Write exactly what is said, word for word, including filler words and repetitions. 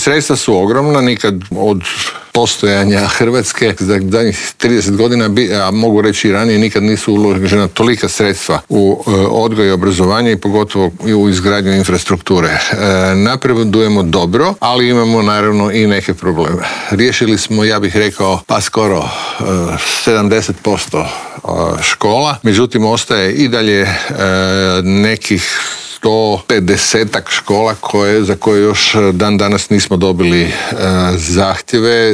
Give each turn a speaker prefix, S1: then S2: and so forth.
S1: Sredstva su ogromna, nikad od postojanja Hrvatske za zadnjih trideset godina, a mogu reći i ranije, nikad nisu uložena tolika sredstva u odgoj i obrazovanje i pogotovo u izgradnju infrastrukture. Napredujemo dobro, ali imamo naravno i neke probleme. Riješili smo, ja bih rekao, pa skoro sedamdeset posto škola, međutim ostaje i dalje nekih sto pedesetak škola koje, za koje još dan danas nismo dobili e, zahtjeve.